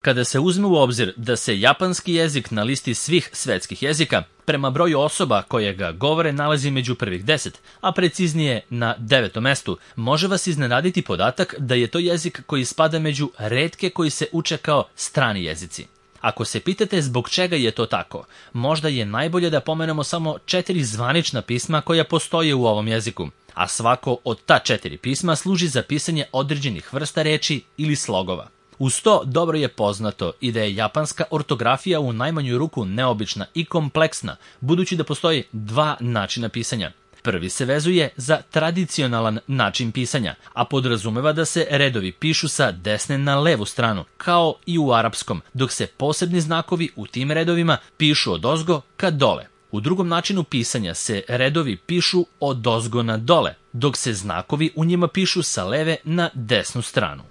Kada se uzme u obzir da se japanski jezik na listi svih svetskih jezika prema broju osoba koje ga govore nalazi među prvih 10, a preciznije na 9. mestu, može vas iznenaditi podatak da je to jezik koji spada među retke koji se uče kao strani jezici. Ako se pitate zbog čega je to tako, možda je najbolje da pomenemo samo 4 zvanična pisma koja postoje u ovom jeziku, a svako od ta 4 pisma služi za pisanje određenih vrsta reči ili slogova. Uz to, dobro je poznato i da je japanska ortografija u najmanju ruku neobična i kompleksna, budući da postoji 2 načina pisanja. Prvi se vezuje za tradicionalan način pisanja, a podrazumeva da se redovi pišu sa desne na levu stranu, kao i u arapskom, dok se posebni znakovi u tim redovima pišu odozgo ka dole. U drugom načinu pisanja se redovi pišu odozgo na dole, dok se znakovi u njima pišu sa leve na desnu stranu.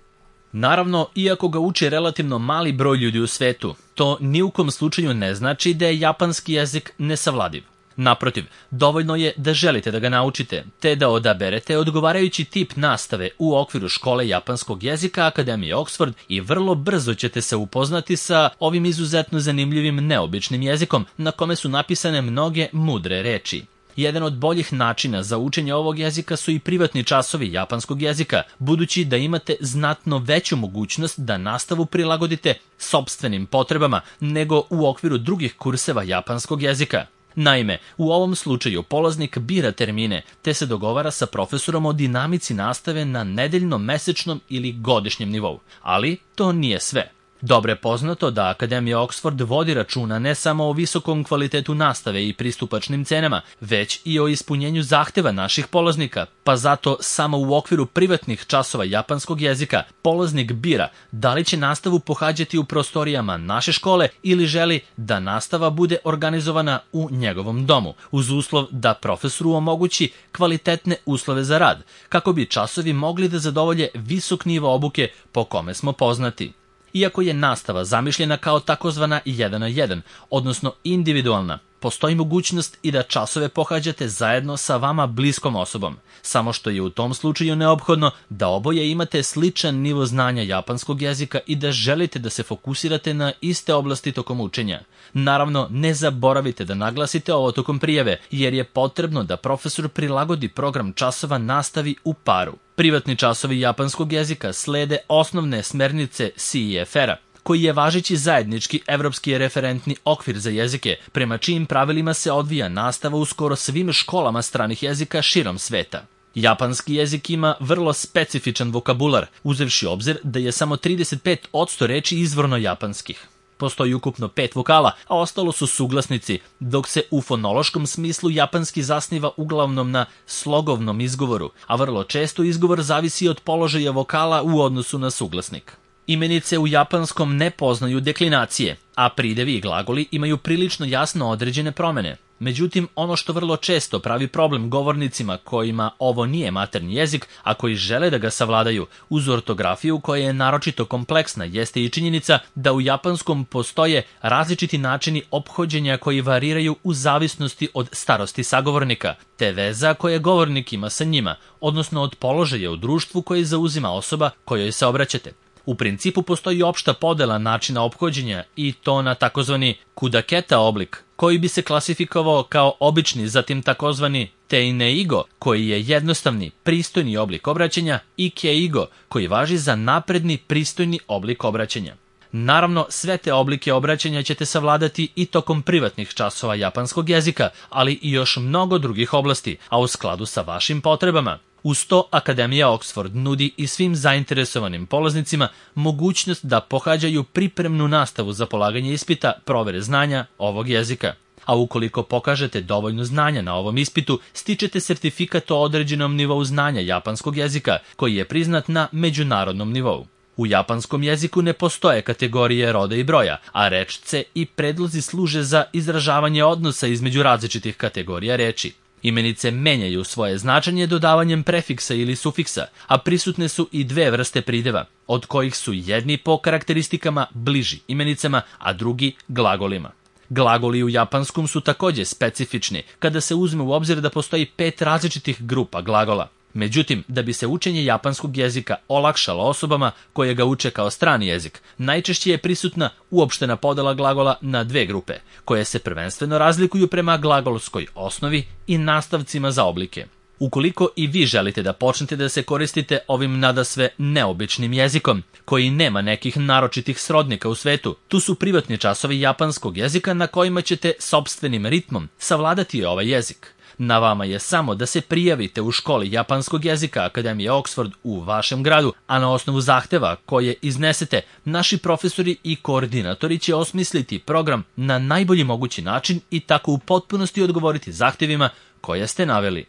Naravno, iako ga uči relativno mali broj ljudi u svetu, to ni u kom slučaju ne znači da je japanski jezik nesavladiv. Naprotiv, dovoljno je da želite da ga naučite, te da odaberete odgovarajući tip nastave u okviru škole japanskog jezika Akademije Oxford i vrlo brzo ćete se upoznati sa ovim izuzetno zanimljivim neobičnim jezikom na kome su napisane mnoge mudre reči. Jedan od boljih načina za učenje ovog jezika su i privatni časovi japanskog jezika, budući da imate znatno veću mogućnost da nastavu prilagodite sopstvenim potrebama nego u okviru drugih kurseva japanskog jezika. Naime, u ovom slučaju polaznik bira termine, te se dogovara sa profesorom o dinamici nastave na nedeljnom, mesečnom ili godišnjem nivou. Ali to nije sve. Dobro je poznato da Akademija Oxford vodi računa ne samo o visokom kvalitetu nastave i pristupačnim cenama, već i o ispunjenju zahteva naših polaznika, pa zato samo u okviru privatnih časova japanskog jezika polaznik bira da li će nastavu pohađati u prostorijama naše škole ili želi da nastava bude organizovana u njegovom domu, uz uslov da profesoru omogući kvalitetne uslove za rad, kako bi časovi mogli da zadovolje visok nivo obuke po kome smo poznati. Iako je nastava zamišljena kao takozvana 1 na 1, odnosno individualna, postoji mogućnost i da časove pohađate zajedno sa vama bliskom osobom, samo što je u tom slučaju neophodno da oboje imate sličan nivo znanja japanskog jezika i da želite da se fokusirate na iste oblasti tokom učenja. Naravno, ne zaboravite da naglasite ovo tokom prijave, jer je potrebno da profesor prilagodi program časova nastavi u paru. Privatni časovi japanskog jezika slede osnovne smernice CEFR-a, koji je važeći zajednički evropski referentni okvir za jezike, prema čijim pravilima se odvija nastava u skoro svim školama stranih jezika širom sveta. Japanski jezik ima vrlo specifičan vokabular, uzevši obzir da je samo 35% reči izvorno japanskih. Postoji ukupno 5 vokala, a ostalo su suglasnici, dok se u fonološkom smislu japanski zasniva uglavnom na slogovnom izgovoru, a vrlo često izgovor zavisi od položaja vokala u odnosu na suglasnik. Imenice u japanskom ne poznaju deklinacije, a pridevi i glagoli imaju prilično jasno određene promene. Međutim, ono što vrlo često pravi problem govornicima kojima ovo nije maternji jezik, a koji žele da ga savladaju, uz ortografiju koja je naročito kompleksna, jeste i činjenica da u japanskom postoje različiti načini ophođenja koji variraju u zavisnosti od starosti sagovornika, te veza koje govornik ima sa njima, odnosno od položaja u društvu koje zauzima osoba kojoj se obraćate. U principu postoji opšta podela načina ophođenja i to na takozvani kudaketa oblik, koji bi se klasifikovao kao obični, zatim takozvani teineigo, koji je jednostavni, pristojni oblik obraćanja, i keigo, koji važi za napredni, pristojni oblik obraćanja. Naravno, sve te oblike obraćanja ćete savladati i tokom privatnih časova japanskog jezika, ali i još mnogo drugih oblasti, a u skladu sa vašim potrebama. Uz to, Akademija Oxford nudi i svim zainteresovanim polaznicima mogućnost da pohađaju pripremnu nastavu za polaganje ispita provere znanja ovog jezika. A ukoliko pokažete dovoljno znanja na ovom ispitu, stičete sertifikat o određenom nivou znanja japanskog jezika, koji je priznat na međunarodnom nivou. U japanskom jeziku ne postoje kategorije roda i broja, a rečce i predlozi služe za izražavanje odnosa između različitih kategorija reči. Imenice menjaju svoje značenje dodavanjem prefiksa ili sufiksa, a prisutne su i 2 vrste prideva, od kojih su jedni po karakteristikama bliži imenicama, a drugi glagolima. Glagoli u japanskom su takođe specifični, kada se uzme u obzir da postoji 5 različitih grupa glagola. Međutim, da bi se učenje japanskog jezika olakšalo osobama koje ga uče kao strani jezik, najčešće je prisutna uopštena podela glagola na dve grupe, koje se prvenstveno razlikuju prema glagolskoj osnovi i nastavcima za oblike. Ukoliko i vi želite da počnete da se koristite ovim nadasve neobičnim jezikom, koji nema nekih naročitih srodnika u svetu, tu su privatni časovi japanskog jezika na kojima ćete sopstvenim ritmom savladati ovaj jezik. Na vama je samo da se prijavite u školi japanskog jezika Akademije Oxford u vašem gradu, a na osnovu zahteva koje iznesete, naši profesori i koordinatori će osmisliti program na najbolji mogući način i tako u potpunosti odgovoriti zahtevima koje ste naveli.